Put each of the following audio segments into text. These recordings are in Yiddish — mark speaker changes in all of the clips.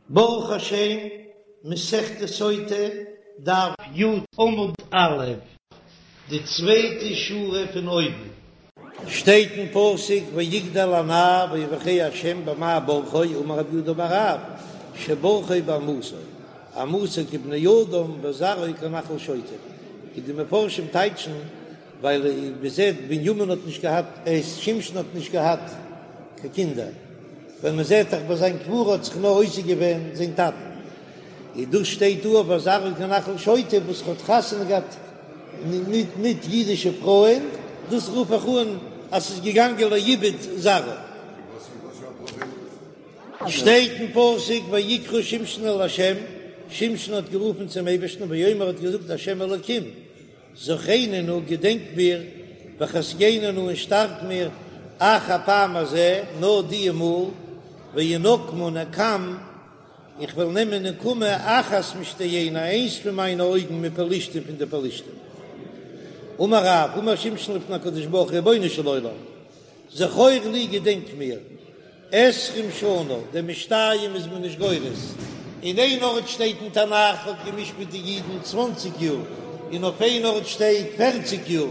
Speaker 1: ברוך השם, מסכת סוטה, דף י עמוד א', די צווייטע שורה פון אויבן. שטייט אין פסוק ויגדל הנער ויברכהו השם במה ברכו, אמר רב יהודה אמר רב, שברכו באימתו, אימתו כבני אדם וזרעו כנחל שוטים, ווי די מפרשים טייטשן, ווייל מ'זעט בנימין האט נישט געהאט, שמשון האט נישט געהאט קיין קינדער. ווען מען זעט דאך ביי זיין קבורה האט זיך נאר עוסק געווען זיין טאטן, און דאס שטייט דא אויף וזרעו כנחל שוטים וואס האט חתונה געהאט מיט ניט אידישע פרויען, דאס רוף איך אן אז ס'איז געגאנגען לאיבוד זרעו. שטייט אין פסוק ויקרא שמשון אל ה', שמשון האט גערופן צום אייבערשטן ויאמר האט געזאגט ה' אלוקים, זכרני נא, געדענק מיר, וחזקני נא, און שטארק מיר, אך הפעם הזה, נאר דיע מאל, ואנקמה נקם, איך וועל נעמען נקמה אחת משתי עיני, איינס פון מיינע אויגן מפלשתים פון די פלשתים. אמר רב, אמר שמשון לפני הקדוש ברוך הוא, רבונו של עולם, זכור לי געדענק מיר, עשרים שנה, דעם משתיים איז מען נישט גורס, אין איין ארט שטייט אין תנך האט גע'משפט די אידן צוואנציג יאר, און אויף איין ארט שטייט פערציג יאר,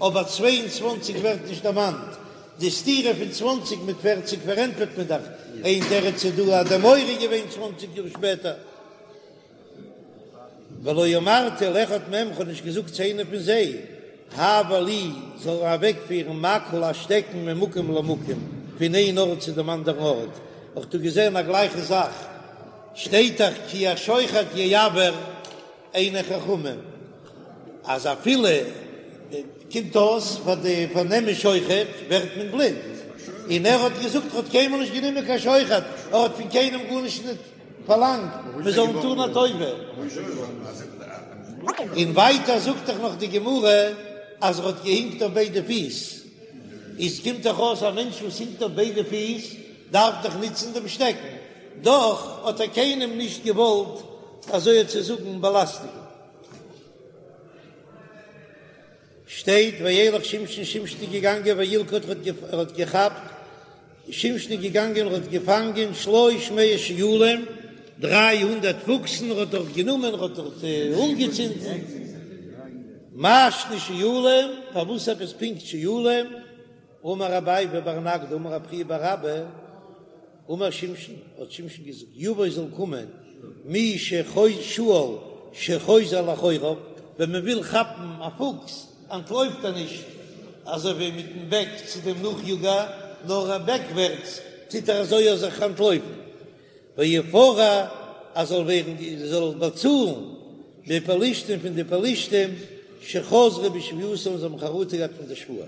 Speaker 1: אבער 22 ווערט נישט דערמאנט, די סתירה פון צוואנציג מיט פערציג פארענטפערט מען דאך, איין תירוץ איז דא אז די מורא איז געווען צוואנציג יאר שפעטער. ולא אמרתי לאחד מהם, כ'האב נישט געזאגט צו איינעם פון זיי, העבר לי, זאל ער אוועקפירן מקל א שטעקן ממקום למקום, פון איין ארט צו דעם אנדערן ארט. האב איך דא געזען א גלייכע זאך, שטייט דאך כי השוחד יעוור עיני חכמים, אז אפילו קומט אויס פאר די פאר נעמען שוחד ווערט מען בלינד, און ער האט געזאגט ער האט קיינמאל נישט גענומען קיין שוחד, ער האט פון קיינעם גארנישט ניט פארלאנגט מען זאל אים טאן א טובה. און ווייטער זאגט דאך נאך די גמרא אז ער האט געהינקט אויף ביידע פיס, איז קומט דאך אויס א מענטש וואס הינקט אויף ביידע פיס דארף דאך נוצן דעם שטעקן, דאך האט ער קיינעם נישט געוואלט אזוי צו זאגן באלאסטיגן. שטייט וילך שמשון שמשון איז געגאנגען וילכוד ער האט געכאפט שמשון איז געגאנגען ער האט געפאנגען שלש מאות שועלים 300 פוקסן ער האט דארט גענומען ער האט דארט אנגעצינדן מאי שנא שועלים פארוואס עפעס פונקט שועלים אמר רב ביבי בר נגדא אמר רב חייא בר אבא אמר שמשון, האט שמשון געזאגט, יבוא זאל קומען מי שועל שחוזר לאחוריו, ווען מען וויל כאפן א פוקס אנטלויפט ער נישט אזוי ווי מיטן בעק צו דעם נאכיאגער, נאר בעקווערטס טוט ער אזוי אויך זיך אנטלויפן, ויפרע אז זאל ווערן זאל באצאלן מפלשתים פון די פלשתים שחזרו בשבועתם זיי האבן חרטה געהאט פון די שבועה.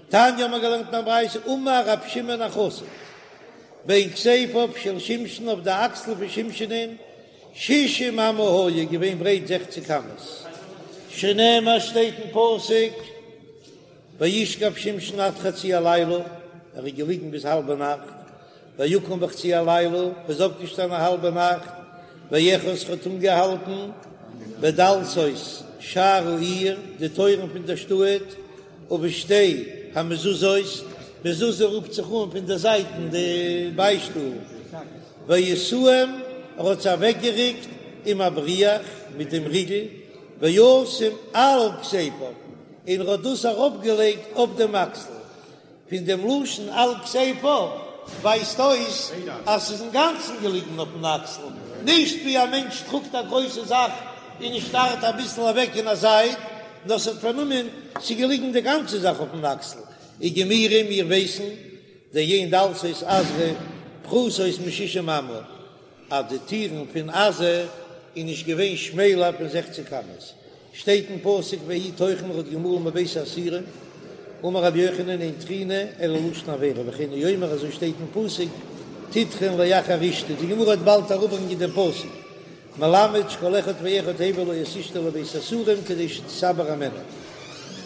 Speaker 1: תניא האבן מיר געלערנט אין א ברייתא אמר רב שמעון החסיד בין כתפיו של שמשון אויף די אקסל פון שמשונ'ען שישים אמה היה געווען ברייט זעכציק אמות שנאמר שטייט אין פסוק וישכב שמשון עד חצי הלילה ער איז געליגן ביז האלבע נאכט ויקום בחצי הלילה, ער איז אויפגעשטאנען א האלבע נאכט, ויאחז האט אנגעהאלטן בדלתות שער העיר, די טויערן פון דער שטאט, ובשתי המזוזות, מזוזה רופט זיך אן פון די זייטן די ביישטולן, וישאם, ער האט זיי אוועקגערוקט עם הבריח, מיט דעם ריגל, וישם על כתפיו, און ער האט דאס ארויפגעלייגט אויף דעם אקסל. פון דעם לשון על כתפיו ווייזט אויס אז ס'איז אינגאנצן געליגן אויפן אקסל, נישט ווי א מענטש טראגט א גרויסע זאך און עס שטארט אביסל אוועק אין א זייט, נאר ס'האט פארנומען, ס'איז געליגן די גאנצע זאך אויפן אקסל. וגמירי מיר ווייסן דאין דלתות עזה פחותות משישים אמה, אז די טירן פון עזה איז נישט געווען שמעלער פון זעכציק אמות, שטייט אין פסוק ויהי טוחן האט געמאלן בבית האסורים, אמר רבי יוחנן אין טחינה אלא לשון עבירה וכן הוא אומר אזוי שטייט אין פסוק תטחן לאחר אשתו, די גמרא וועט באלד אראפברענגען דעם פסוק, מלמד שכל אחד ואחד הביא לו את אשתו לבית האסורים כדי שתתעבר הימנו.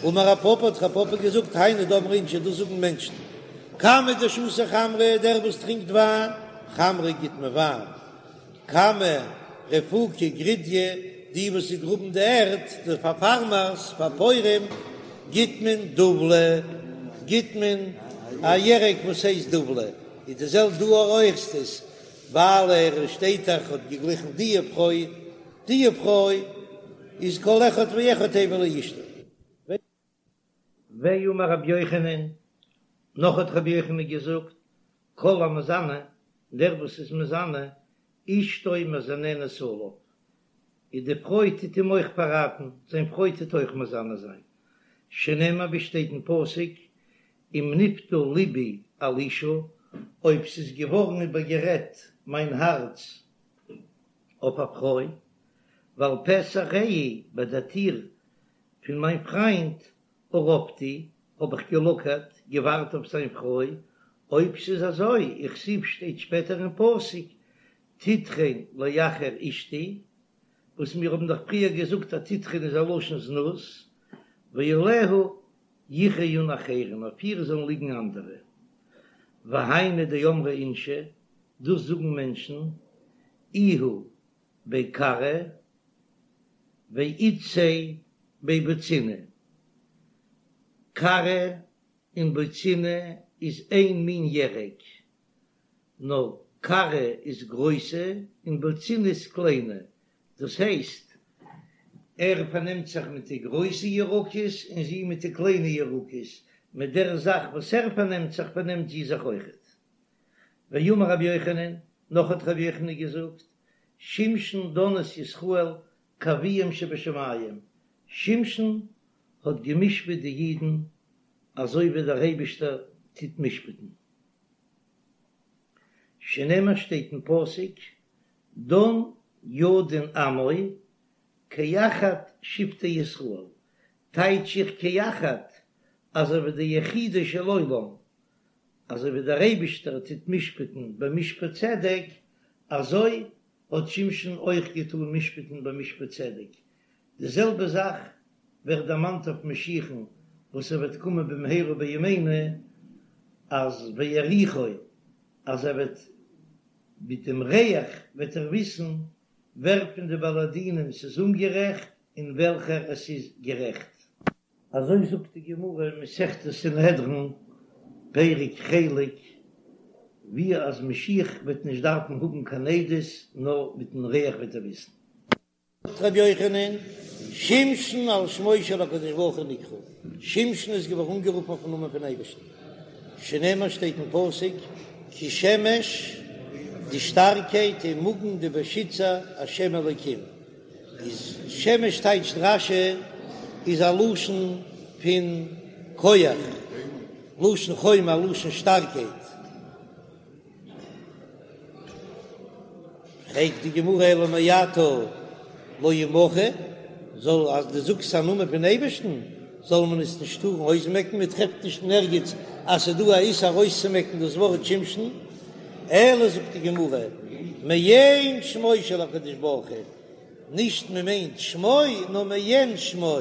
Speaker 1: אמר רב פפא האט רב פפא געזאגט היינו דאמרי אינשי דאס זאגן מענטשן, כמה דשתי חמרא דער וואס טרינקט וויין, חמרא גיט מען וויין, כמה רפוקי גרידיא, די וואס זיי גראבן די ערד, די פאר פארמערס, פאר פויערים, גיט מען דובלא, גיט מען א ירק וואס הייסט דובלא, איז די זעלבע דא אויך איז עס. ווייל ער שטייט דאך האט געגליכן די פרוי, די פרוי איז כל אחד ואחד הביא לאשתו. ואמר רבי יוחנן, נאך האט רבי יוחנן געזאגט, כל המזנה, דער וואס איז מזנה, אשתו מזננת עליו, איז די פרוי טוט אים אויך פארראטן, זיין פרוי טוט אויך מזנה זיין, שנאמר ווי שטייט אין פסוק, אם נפתה לבי על אשה, אויב ס'איז געווארן איבערגערעדט מיין הארץ אויף א פרוי, ועל פתח רעי, ביי דער טיר פון מיין פריינט, ארבתי, האב איך געלאקערט, געווארט אויף זיין פרוי, אויב ס'איז אזוי, וכתיב שטייט שפעטער אין פסוק, תטרון לאחר אשתי, וואס מיר האבן דאך פריער געזאגט אז תטרון איז א לשון זנות, ועליה יכיון אחרים, אויף איר זאלן ליגן אנדערע. והיינו דאמרי אינשי, דאס זאגן מענטשן, איהו בי כרעא ואיתתיה בי בוצינא, קרא און בוצינא איז איין מין ירק, נאר קרא איז גרויסע און בוצינא איז קליינע, דאס הייסט ער פארנעמט זיך מיט די גרויסע ירקות און זי מיט די קליינע ירקות, מיט דער זאך וואס ער פארנעמט זיך פארנעמט זי זיך אויכעט. ואמר רבי יוחנן, נאך האט רבי יוחנן געזאגט, שמשון דן את ישראל כאביהם שבשמים, שמשון האט גע'משפט די אידן אזוי ווי דער אייבישטער טוט משפט'ן, שנאמר שטייט אין פסוק, דן ידין עמו כאחד שבטי ישראל, טייטש איך כאחד אזוי ווי די יחידו של עולם, אזוי ווי דער אייבישטער טוט משפט'ן במשפט צדק, אזוי האט שמשון אויך געטאן משפט'ן במשפט צדק. די זעלבע זאך ווערט דערמאנט אויף משיח'ן וואס ער וועט קומען במהרה בימינו, אז ויריחו, אז ער וועט מיט דעם ריח וועט ער וויסן ווער פון די בעלי דינים ס'איז אומגערעכט און וועלכער עס איז גערעכט. אזוי זאגט די גמרא אין מסכת סנהדרין, פרק חלק, ווי אז משיח וועט נישט דארפן האבן קיין עדות, נאר מיטן ריח וועט ער וויסן. זאגט רבי יוחנן, שמשון על שמו של הקדוש ברוך הוא נקרא, שמשון איז געווארן אנגערופן אויפן נאמען פון אייבערשטן, שנאמר שטייט אין פסוק, כי שמש, די שטארקייט ומגן די באשיצער, השם אלוקים. איז שמש טייטשט רש"י איז א לשון פון כח, לשון חומה, א לשון שטארקייט. פרעגט די גמרא אלא מעתה לא ימחה, זאל אז דו זאגסט א נאמען פון אייבערשטן זאל מען עס נישט טארן אויסמעקן, מען טרעפט נישט אין ערגעץ אז ס'איז דא א איסור ארויסצומעקן דאס ווארט שמשון. אלא זאגט די גמרא, מעין שמו של הקדוש ברוך הוא, נישט מען מיינט שמו נאר מעין שמו,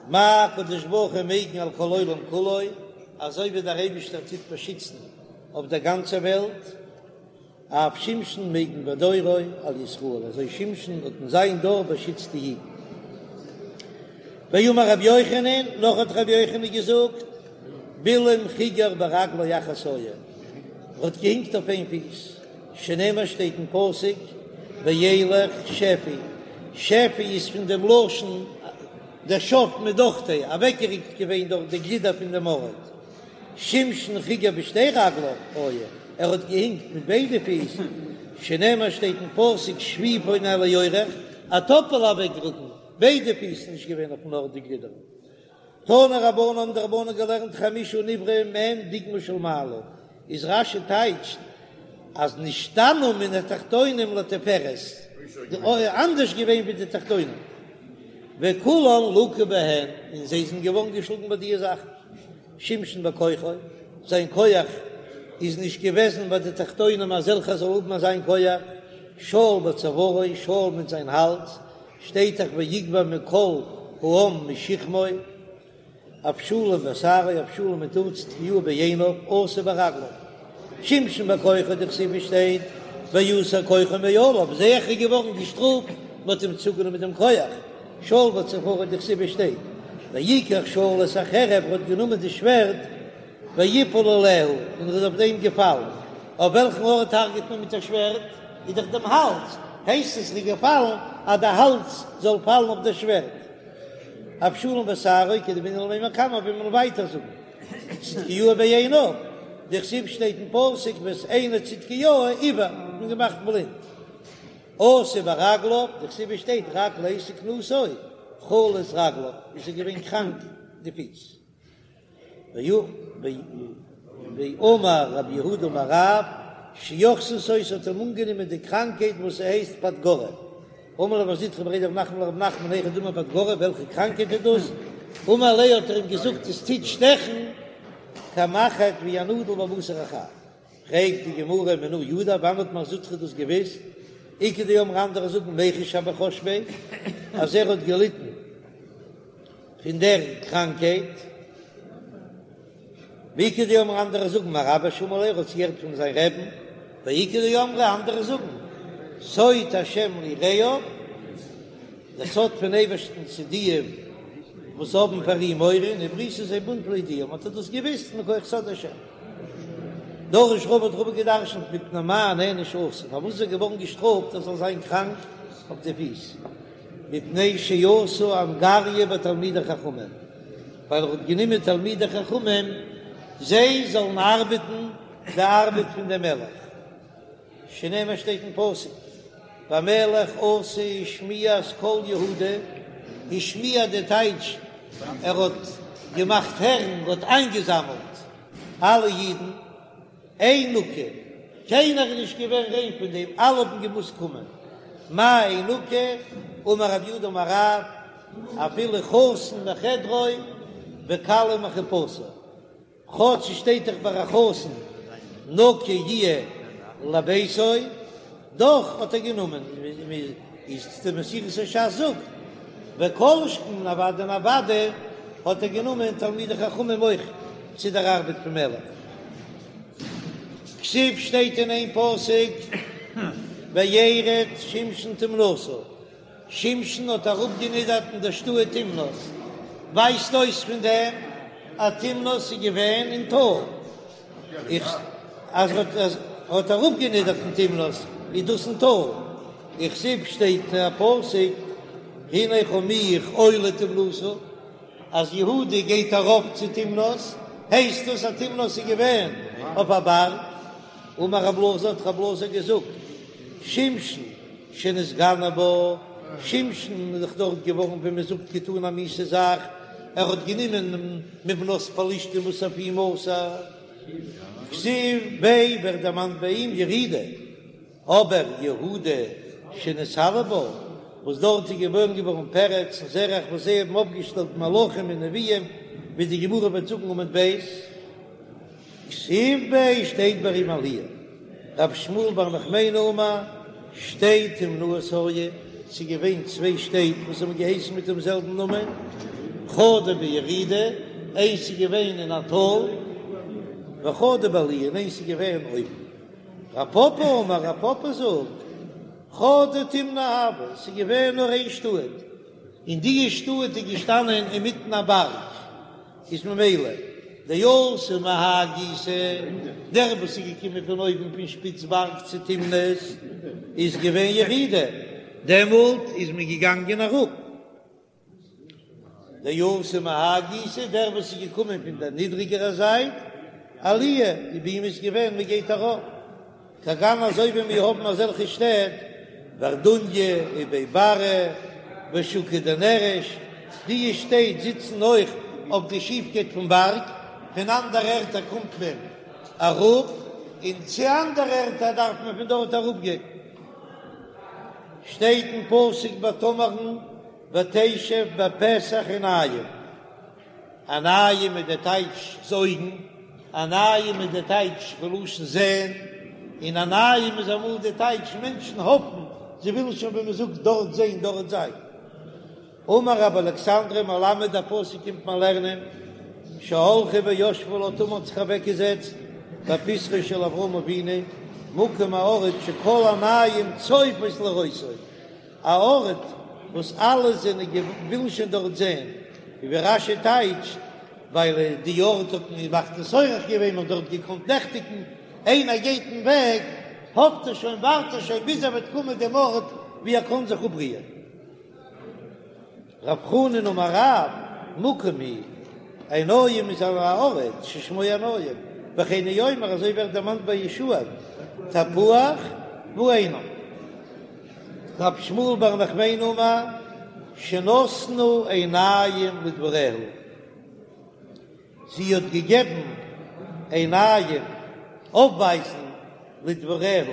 Speaker 1: מה הקדוש ברוך הוא מגין על כל העולם כולו, אזוי ווי דער אייבישטער טוט באשיצן אויף דער גאנצער וועלט, אף שמשון מגין בדורו על ישראל, אזוי שמשון האט אין זיין דור באשיצט די אידן. ואמר רבי יוחנן, נאך האט רבי יוחנן געזאגט, בלעם חיגר ברגלו אחת היה, ער האט געהינקט אויף איין פיס, שנאמר שטייט אין פסוק, וילך שפי, שפי איז פון דעם לשון דשף מדוכתיה, אוועקגעריקט געווען דורך די גלידער פון דעם ארט. שמשון חיגר בשתי רגליו היה, ער האט געהינקט מיט ביידע פיס, שנאמר שטייט אין פסוק שפי פונה אל הירך, א טאפעלע אוועקרוקן, ביידע פיס נישט געווען אויפן ארט די גלידער. תנו רבנן האבן די רבנן געלערנט חמשה נבראו מעין דוגמא של מעלה, איז רש"י טייטשט אז נשתנו מן התחתונים לתפארת, אנדערש געווען ווי די תחתונים, וכולן לקו בהן, און זיי זענען געווארן געשלאגן ביי די זאכן. שמשון בכוחו, זיין כח איז נישט געוועזן ביי די תחתונים אזעלכע זאל האבן אזיין כח, שאול בצווארו, שאול מיט זיין האלז, שטייט דאך ויגבה מכל העם משכמו, אבשלום בשערו, אבשלום מיט האר צדקיהו בעיניו, אסא ברגליו, שמשון בכוחו דכתיב שטייט ויסר כוחו מעליו, זעה איך איז געווארן געשטראפט, מען האט אים צוגענומען דעם כח. שאול בצווארו דכתיב שטייט ויקח שאול את החרב ער האט גענומען די שווערד. ויפול עליה, און ער איז אויף דעם געפאלן. אויף וועלכן ארט הרג'ט מען מיט א שווערד? איז דאך דעם האלז, הייסט עס איז געפאלן אז די האלז זאל פאלן אויף דער שווערד. אבשלום ושערו כדבעינן למימר קמיה ווי מ'וועט ווייטער זאגן צדקיהו בעיניו, דכתיב שטייט אין פסוק ואת עיני צדקיהו עור, האט מען געמאכט בלינד. אתו ברגליו, דכתיב שטייט רק לעת זקנותו חלו רגליו, איז ער געווען קראנק די פיס. ואמר רב יהודה אמר רב, שאחזתו ס'האט אים אנגענומען די קראנקהייט וואס ס'הייסט פדגרא. אמר ליה מר זוטרא בריה דרב נחמן לרב נחמן היכי דמי פדגרא, וועלכע קראנקהייט איז דאס? אמר ליה האט ער אים געזאגט עס טוט שטעכן כמחט ווי א נאדל בבשר החי. פרעגט די גמרא מנא ידע, וואנען האט מר זוטרא דאס געוויסט? איכא דאמרי אנדערע זאגן מיחש הוה חש ביה אז ער האט געליטן פון דער קראנקהייט, ואיכא דאמרי אנדערע זאגן מרביה שמע ליה ער האט עס געהערט פון זיין רעבן, ואיכא דאמרי אנדערע זאגן סוד השם ליראיו, דער סוד פון אייבערשטן צו די וואס האבן פאר אים מורא, און ובריתי זה בונד להודיעם האט ער דאס געוויסט מכח סוד השם. דרש רבא האט רבא געדרשנט מפני מה נענש אסא, פארוואס איז ער געווארן געשטראפט ער זאל זיין קראנק אויף די פיס, מפני שעשה אנגריא בתלמידי חכמים, ווייל ער האט גענומען תלמידי חכמים זיי זאלן ארבעטן די ארבעט פון דעם מלך, שנאמר שטייט אין פסוק, והמלך אסא השמיע את כל יהודה, השמיע די טייטש ער האט געמאכט הערן, ער האט איינגעזאמלט אלע אידן, אין נקי, קיינער איז נישט געווען ריין פון דעם, אלע האבן געמוזט קומען, מאי אין נקי, אמר רב יהודה אמר רב, אפילו חתן מחדרו וכלה מחופתה. כאטש ס'שטייט דאך ביי א חתן נקי יהיה לביתו, דאך האט ער גענומען, איז די מסורת הש"ס זאגט, וכל שכן אוודאי און אוודאי האט ער גענומען תלמידי חכמים אויך צו דער ארבעט פון מלך. כתיב שטייט אין איין פסוק וירד שמשון תמנתה. שמשון האט אראפגענידערט אין דער שטאט תמנת, ווייזט אויס פון דעם אז תמנת איז געווען אין טאל, איך אז ער האט אראפגענידערט אין תמנת איז דאס אין טאל, וכתיב שטייט א פסוק הנה חמיך עולה תמנתה, אז יהודה גייט ארויף צו תמנת, הייסט דאס אז תמנת איז געווען אויף א בארג, אמר רב אלעזר האט רב אלעזר געזאגט שמשון שנתגנה בה, שמשון איז דאך דארט געווארן ווי מען זאגט געטאן א מיאוסע זאך, ער האט גענומען מבנות פלשתים וואס אויף אים אסור, כתיב ביה ווערט דערמאנט ביי אים ירידה, אבער יהודה שנתעלה בה, וואס דארט איז געבוירן געווארן פרץ און זרח וואס זיי האבן אויפגעשטעלט מלכים און נביאים, ווי די גמרא וועט זאגן עמוד ב'. כתיב ביה שטייט ביי אים עליה, רב שמואל בר נחמני אמר, שתי תמנאות היו, ס'איז געווען צוויי שטעט וואס האבן געהייסן מיט דעם זעלבן נאמען, חדא בירידה, איינס איז געווען אין א טאל, וחדא בעליה, און איינס איז געווען אויבן. רב פפא אמר, רב פפא זאגט, חדא תמנא הוה, ס'איז געווען נאר איין שטאט, און די שטאט איז געשטאנען אינמיטן א בארג. איז ממילא דאתא מהאי גיסא, דער וואס איז געקומען פון אויבן פון שפיץ בארג צו תמנת איז געווען ירידה, דעמאלט איז מען געגאנגען אראפ. דאתא מהאי גיסא, דער וואס איז געקומען פון דער נידריגערע זייט, עליה, ביי אים איז געווען מען גייט ארויף. כגון אזוי ווי מיר האבן אזעלכע שטעט, ורדוניא ובי ברא ושוקא דנרש, די שטעט זיצן אויך אויף די שיפקייט פון בארג, פון אנדערע ערטער קומט מען אראפ, און צו אנדערע ערטער דארף מען פון דארט אראפגיין. שטייט אין פסוק ביי תמר'ן ותשב בפתח עינים. עינים איז די טייטש אויגן, עינים איז די טייטש פון לשון זען, און עינים איז אמאל די טייטש מענטשן האפן, זיי ווילן שוין ווי מען זאגט דארט זען, דארט זיין. אמר רבי אלכסנדרי מלמד דער פסוק קומט מען לערנען, שהלכה וישבה לה תמר האט זיך אוועקגעזעצט בפתחו של אברהם אבינו, מקום א ארט שכל עינים צופות לראותו, א ארט וואס אלע זענען ווילן שוין דארט זען, ווי רש"י טייטשט. ווייל די ארט האט מען מכניס אורח געווען, מ'האט דארט געקאנט נעכטיגן, איינער גייט אין וועג האפט ער שוין ווארט ער שוין ביז ער וועט קומען דעם ארט ווי ער קען זיך אפרוען. רב חנן אמר רב, מקום הוא, עיניים איז א ארט ששמו עיניים, וכן הוא אומר אזוי ווערט דערמאנט ביי יהושע תפוח ועינם. רב שמואל בר נחמני אמר שנתנה עיניים לדבריה, זי האט געגעבן עיניים אויפווייזן לדבריה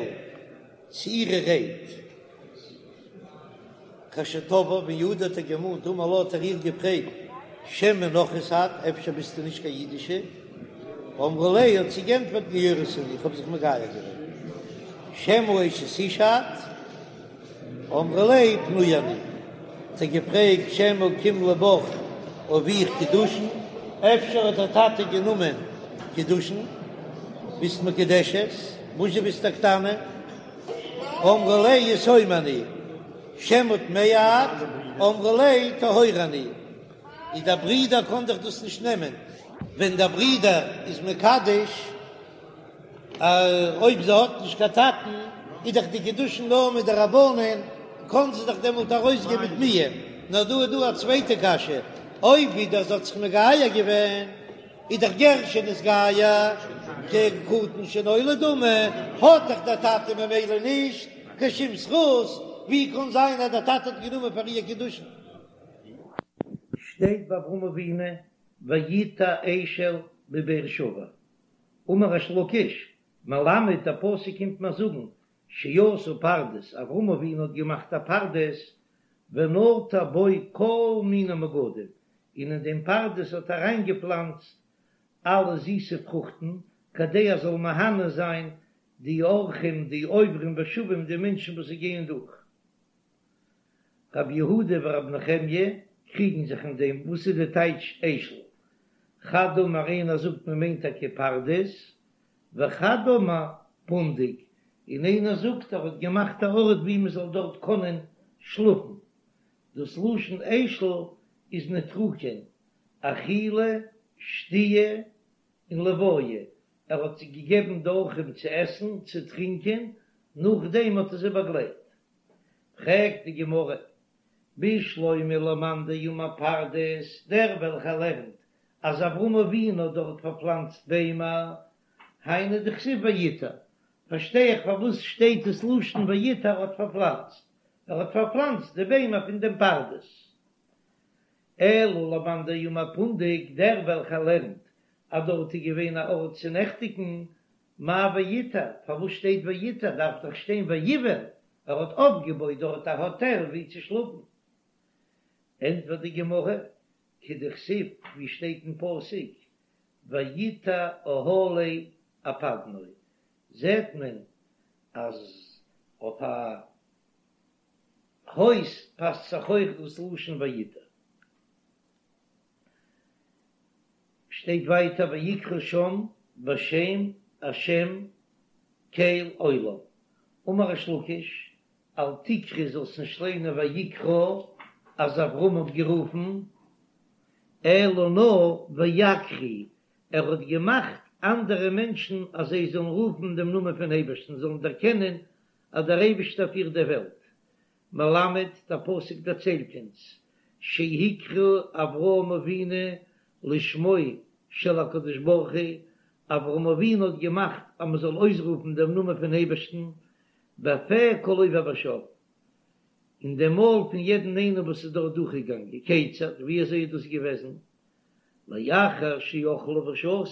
Speaker 1: צו אירע רייד. כאשר תבעה, ווען יהודה האט איר געמאנט אמר לה האט ער איר געפרעגט שמא נכרית את, אפשר ביסטו נישט קיין אידישע? אמרה ליה האט זי גענטפערט גיורת אני, איך האב זיך מגייר געווען. שמא אשת איש את? אמרה ליה פנויה אני. האט ער געפרעגט שמא קימלא בך אביך קידושין, אפשר האט דער טאטע גענומען קידושין, ביסט מקודשת, וואס זשע ביסט א קטנה? אמרה ליה יתומה אני, שמא טמאה את, אמרה ליה טהורה אני. איז דער ברודער קען דאך דאס נישט נעמען, ווען דער ברודער איז מקדש, אויב זי האט נישט קיין טאטן, איז דאך די קידושין נאר מדרבנן, קען זי דאך דעמאלט ארויסגיין מיט מיאון. נאר דא איז דא א צווייטע קשיא, אויב ווידער זי האט זיך מגייר געווען, איז דאך גר שנתגייר כקטן שנולד דמי, האט דאך דער טאטע ממילא נישט קיין שום זכות, ווי קען זיין אז דער טאטע האט גענומען פאר איר קידושין?
Speaker 2: שטייט ביי אברהם אבינו ויטע אשל בבאר שבע, אמר ריש לקיש, מלמד דער פסוק קומט מיר זאגן שעשה פרדס, אברהם אבינו האט געמאכט א פרדס ונטע בו כל מיני מגדים, און אין דעם פרדס האט ער אריינגעפלאנצט אלע זיסע פרוכטן, כדי ער זאל מהנה זיין די אורחים, די עוברים ושבים, די מענטשן וואס זיי גייען דורך. רבי יהודה ורבי נחמיה קריגן זיך אין דעם, וואס איז די טייטש אשל? חד אמר איינער זאגט מען מיינט טאקע פרדס, וחד אמר פונדק, און איינער זאגט ער האט געמאכט א ארט ווי מען זאל דארט קענען שלאפן, דאס לשון אשל איז נוטריקון, אכילה, שתיה און לוויה, ער האט זיי געגעבן די אורחים צו עסן, צו טרינקען, נאכדעם האט ער זיי באגלייט. פרעגט די גמרא, בשלמא למאן דאמר פרדס, דער וועלכער לערנט אז אברהם אבינו האט דארט פארפלאנצט ביימער, היינו דכתיב ויטע, פארשטיי איך פארוואס שטייט עס לשון ויטע ער האט פארפלאנצט, ער האט פארפלאנצט די ביימער פון דעם פרדס. אלא למאן דאמר פונדק, דער וועלכער לערנט אז דארט איז געווען א ארט צו נעכטיגן, מאי ויטע, פארוואס שטייט ויטע, דארף דאך שטיין ויבן, ער האט אויפגעבויט דארט א האטעל ווי צו שלאפן. ענטפערט די גמרא, כדכתיב, ווי שטייט אין פסוק, ויטע אהלי אפדנו, זעט מען אז אויף א הויז פאסט זיך אויך דאס לשון ויטע. שטייט ווייטער ויקרא שם בשם השם קל עולם, אמר ריש לקיש, אל תקרי זאלסט נישט ליינען ויקרא אז אברהם האט גערופן, אלא נאר ויקריא, ער האט געמאכט אנדערע מענטשן אז זיי זאלן רופן דעם נאמען פון אייבערשטן, זאלן דערקענען אז דער אייבערשטער פירט די וועלט. מלמד, דער פסוק דערציילט אונז, שהקריא אברהם אבינו לשמו של הקדוש ברוך הוא, אברהם אבינו האט געמאכט אז מען זאל אויסרופן דעם נאמען פון אייבערשטן, בפה כל עובר ושב, אין דעם מויל פון יעדן איינעם וואס איז דארט דורכגעגאנגען, כיצד, ווי אזוי איז דאס געוועזן? לאחר שאכלו ושתו,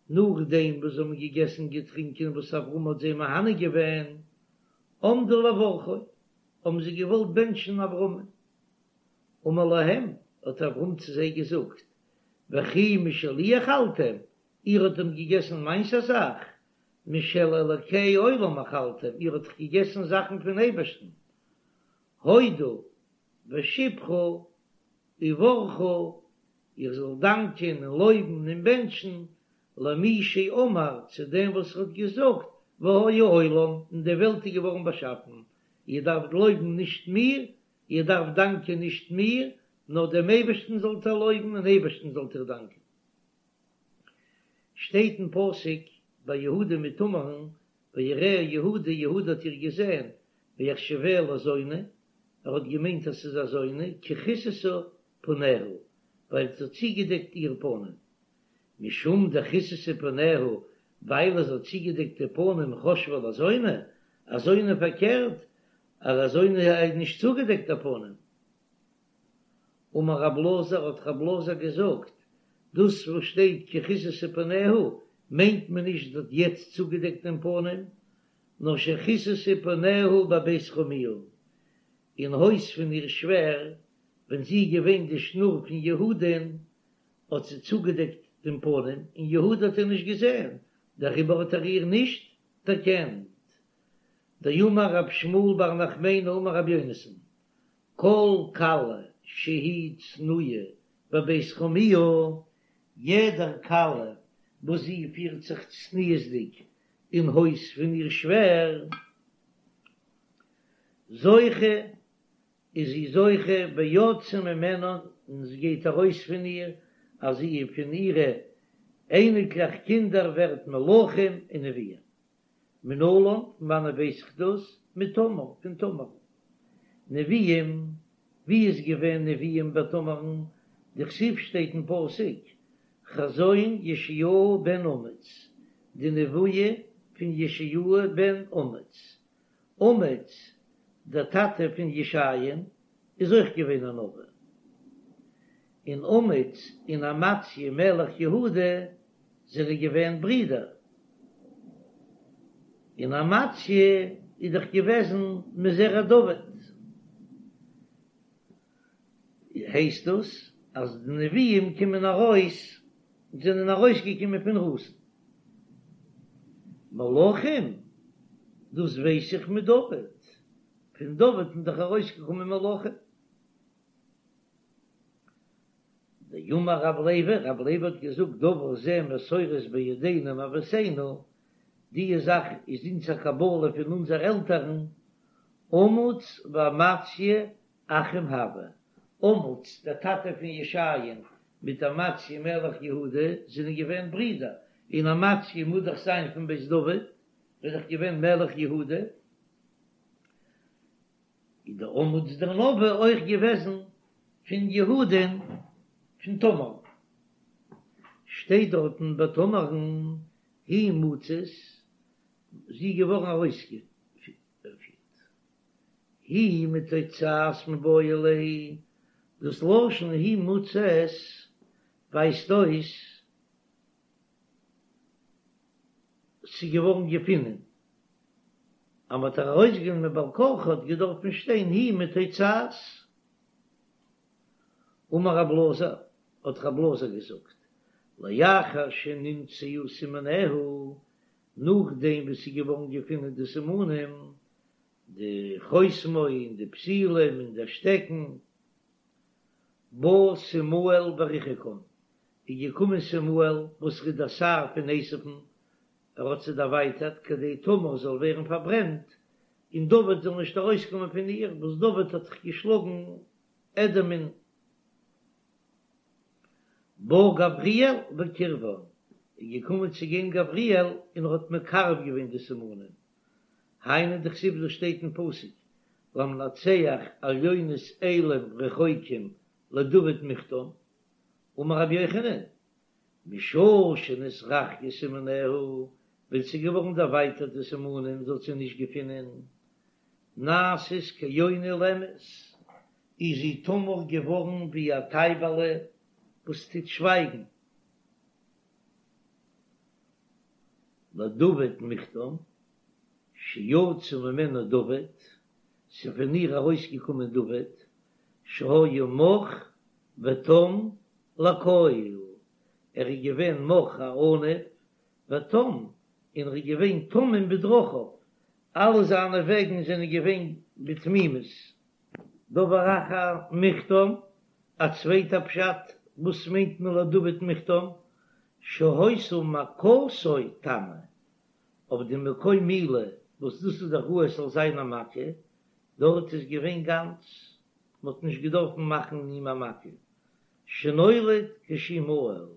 Speaker 2: נאכדעם וואס זיי האבן געגעסן געטרינקען וואס אברהם האט זיי מהנה געווען, עמדו לברכו, האבן זיי געוואלט בענטשן אברהמ'ן. אמר להם, האט אברהם צו זיי געזאגט, וכי משלי אכלתם, איר האט דען געגעסן מיינס א זאך? משל אלוקי עולם אכלתם, איר האט דאך געגעסן זאכן פון אייבערשטן. הודו ושבחו וברכו, איר זאלט דאנקען און לויבן און בענטשן, למי שאמר, צו דעם וואס האט געזאגט, והיה העולם, און די וועלט איז געווארן באשאפן. איר דארפט לויבן נישט מיר, איר דארפט דאנקען נישט מיר, נאר דעם אייבערשטן זאלט איר לויבן און אייבערשטן זאלט איר דאנקען. שטייט אין פסוק ביי יהודה מיט תמר'ן, ויראה יהודה, יהודה האט איר געזען, ויחשבה לזונה, ער האט געמיינט אז ס'איז א זונה, כי כסתה פניה, ווייל זי האט צוגעדעקט איר פנים. משום דכסתה פניה, ווייל זי האט צוגעדעקט די פנים חשבה לזונה, א זונה פארקערט, אז א זונה איז נישט צוגעדעקט די פנים. אמר רב אלעזר, האט רב אלעזר געזאגט, דאס וואס שטייט כי כסתה פניה, מיינט מען נישט זי האט יעצט צוגעדעקט דעם פנים, נאר שכסתה פניה בבית חמיה, אין הויז פון איר שווער, ווען זי איז געווען די שנור פון יהודה'ן, האט זי צוגעדעקט דעם פנים, און יהודה האט איר נישט געזען, דעריבער האט ער איר נישט דערקענט. דאמר רב שמואל בר נחמני אמר רבי יונתן, כל כלה שהיא צנועה בבית חמיה, יעדער כלה וואס זי פירט זיך צניעות'דיג אין הויז פון איר שווער, זוכה איז זי זוכה ויוצא ממנה און עס גייט ארויס פון איר אז זי פון אירע אייניקלעך קינדער ווערט מלכים און נביאים. מנלן, פון וואנעט ווייס איך דאס? מתמר, פון תמר. נביאים, ווי איז געווען נביאים ביי תמר'ן? דכתיב שטייט אין פסוק, חזון ישעיהו בן אמוץ, די נבואה פון ישעיהו בן אמוץ. אמוץ, דער טאטע פון ישעיה'ן, איז אויך געווען א נביא. און אמוץ און אמציה מלך יהודה זענען געווען ברידער, און אמציה איז דאך געוועזן מזרע דוד, הייסט דאס אז די נביאים קומען ארויס, זענען ארויסגעקומען פון רות'ן. מלכים, דאס ווייס איך מדוד, פון דוד איז דאך ארויסגעקומען מלכים. דאמר רב לוי, רב לוי האט געזאגט דבר זה מסורת בידינו מאבותינו, די זאך איז אונז א קבלה פון אונזער עלטערן, אמוץ ואמציה אחים הוו, אמוץ דער טאטע פון ישעיה'ן מיט אמציה מלך יהודה זענען געווען ברידער, און אמציה מוז דאך זיין פון בית דוד, איז דאך געווען מלך יהודה. איז דער אמוץ דער נביא אויך געוועזן פון יהודה'ן פון תמר, שטייט דארטן ביי תמר'ן היא מוצאת, זי איז געווארן ארויסגעפירט, היא מתוצאת מיבעי ליה, דאס לשון היא מוצאת ווייזט אויס ס'איז געווארן געפינען אז מ'האט איר ארויסגענומען בעל כרחה האט געדארפן שטיין היא מתוצאת. אמר רב אלעזר, האט רב אלעזר געזאגט, לאחר שנמצאו סימניה, נאכדעם וואס ס'איז געווארן געפינען די סימנים, די חותמו און די פתילים און דער שטעקן, בא סימאל וריחקן, איז געקומען סימאל וואס איז דער שר פון עשו'ן, ער האט זיי דערווייטערט כדי תמר זאל ווערן פארברענט און דוד זאל נישט ארויסקומען פון איר, וואס דוד האט זיך געשלאגן אדום'ען. בא גבריאל וקירבן, איז געקומען צו גיין גבריאל און ער האט מקרב געווען די סימנים, היינו דכתיב דאס שטייט אין פסוק למנצח על יונות אלים רחוקים לדוד מכתם, אמר רבי יוחנן, משעה שנתרחקו סימניה, ווען ס'איז געווארן דערווייטערט די סימנים זי האט זיי נישט געפונען, נעשית כיונה אילמת, איז זי תמר געווארן ווי א טייבעלע וואס טוט שווייגן. לדוד מכתם, שיצא ממנה דוד, ס'איז פון איר ארויסגעקומען דוד, שהיה מך ותם לכל, ער איז געווען מך א עניו, ותם, און ער איז געווען תמים בדרכיו, אלע זיינע וועגן זענען געווען בתמימות. דבר אחר מכתם, א צווייטע פשט, וואס מיינט מען לדוד מכתם, שהיתה מכתו תמה, אויף די מקום מילה וואס דאס איז דאך ראוי עס זאל זיין א מכה, דארט איז געווען גאנץ, מען האט נישט געדארפן מאכן אים א מכה, שנולד כשהוא מהול,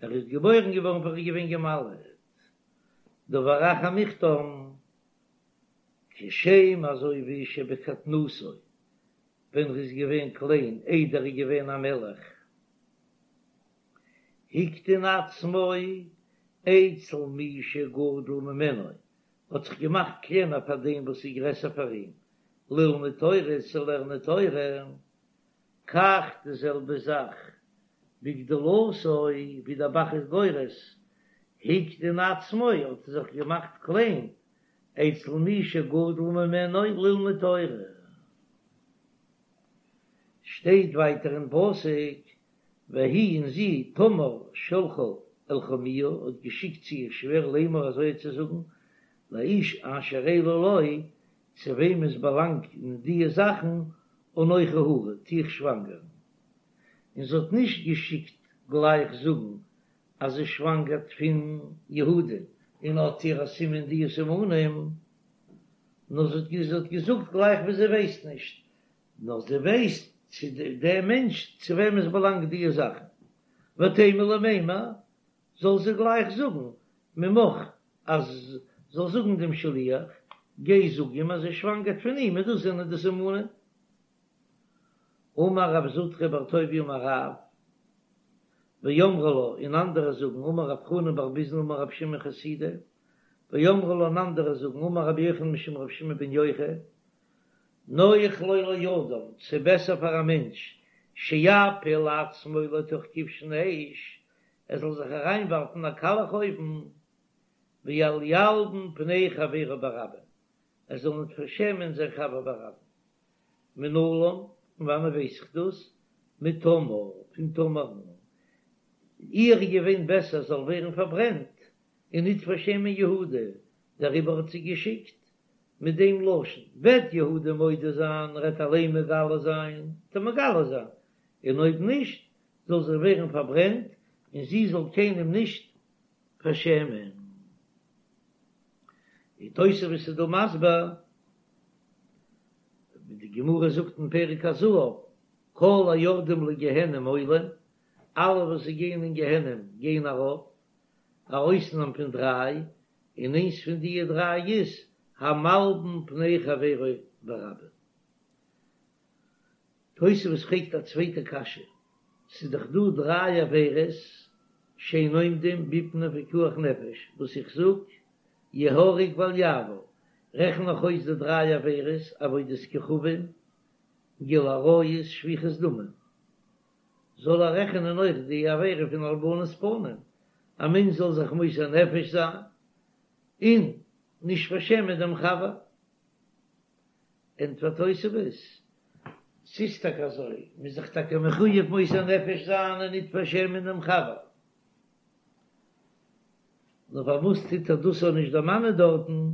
Speaker 2: ער איז געבוירן געווארן פאר ער איז געווען געמל'עט. דבר אחר מיכתם, כשם אזוי ווי שבקטנותו, ווען ער איז געווען קליין איידער ער איז געווען א מלך, הקטין עצמו אצל מי שגדול ממנו, האט זיך געמאכט קלענער פאר דעם וואס איז גרעסער פאר אים, ללמוד תורה, צו לערנען תורה, כך די זעלבע זאך בגדולתו, ווי דער ב"ח איז גורס, הקטין עצמו, האט ער זיך געמאכט קליין, אצל מי שגדול ממנו ללמוד תורה. שטייט ווייטער אין פסוק, והיא און זי תמר שלחה אל חמיה האט געשיקט צו איר שווער לאמר אזוי צו זאגן, לאיש אשר אלו לו, צו וועם עס באלאנגט דיע זאכן, אנכי הרה, טו איך שוואנגערן. און זי האט נישט געשיקט גלייך זאגן אז זי שוואנגערט פון יהודה און האט איר א סימן דיע סימנים, נאר זי האט געזאגט גלייך ווי זי ווייסט נישט, נאר זי ווייסט צו דער מענטש צו וועם עס באלאנגט דיע זאכן, ותימא למימר, זאל זי גלייך זאגן ממך אז זאל זאגן דעם שליח, גיי זאג אים אז זי שוואנגערט פון אים און דאס זענען די סימנים. אמר רב זוטרא בר טוביה אמר רב, ואמרי לה, און אנדערע זאגן, אמר רב חנן בר ביזנא אמר רב שמעון חסידא, ואמרי לה און אנדערע זאגן, אמר רבי יוחנן משום רבי שמעון בן יוחאי, נוח לו לאדם, ס'איז בעסער פאר א מענטש, שיפיל עצמו לתוך כבשן האש, ער זאל זיך אריינווארפן אין א קאלעך אויוון, ואל ילבין פני חברו ברבים, ער זאל ניט פארשעמען זיין חבר ברבים. מנלן, פון וואנען ווייס איך דאס? מתמר, פון תמר'ן. איר איז געווען בעסער זאל ווערן פארברענט, און ניט פארשעמען יהודה, דעריבער האט זי געשיקט מיט דעם לשון, וועט יהודה מודה זיין, ער וועט אליין מגלה זיין, וועט ער מגלה זיין, און אויב נישט, זאל זי ווערן פארברענט, און זי זאל קיינעם נישט פארשעמען. די תוספות איז דא מסביר, ווי די גמרא זאגט אין פרק הזהב, כל היורדים לגיהנם עולים, אלע וואס זיי גייען אין גיהנם גייען ארויף, א אויסנאם פון דריי, און איינס פון דיע דריי איז המלבין פני חברו ברבים. תוספות פרעגט א צווייטע קשיא, ס'איז דאך דא דריי עבירות שאין עומדים בפני פיקוח נפש, וואס איך זאג יהרג ואל יעבור, רעכן איך אויס די דריי עבירות, עבודת כוכבים, גילוי עריות, שפיכות דמים, זאל ער רעכענען אויך די עבירה פון הלבנת פנים, א מענטש זאל זיך מוסר נפש זיין און נישט פארשעמען דעם חבר. ענטפערט תוספות, ס'איז טאקע אזוי, מ'איז זיך טאקע מחויב מוסר נפש זיין און ניט פארשעמען דעם חבר, נאר פארוואס טוט ער דאס אויך נישט דערמאנען דארטן,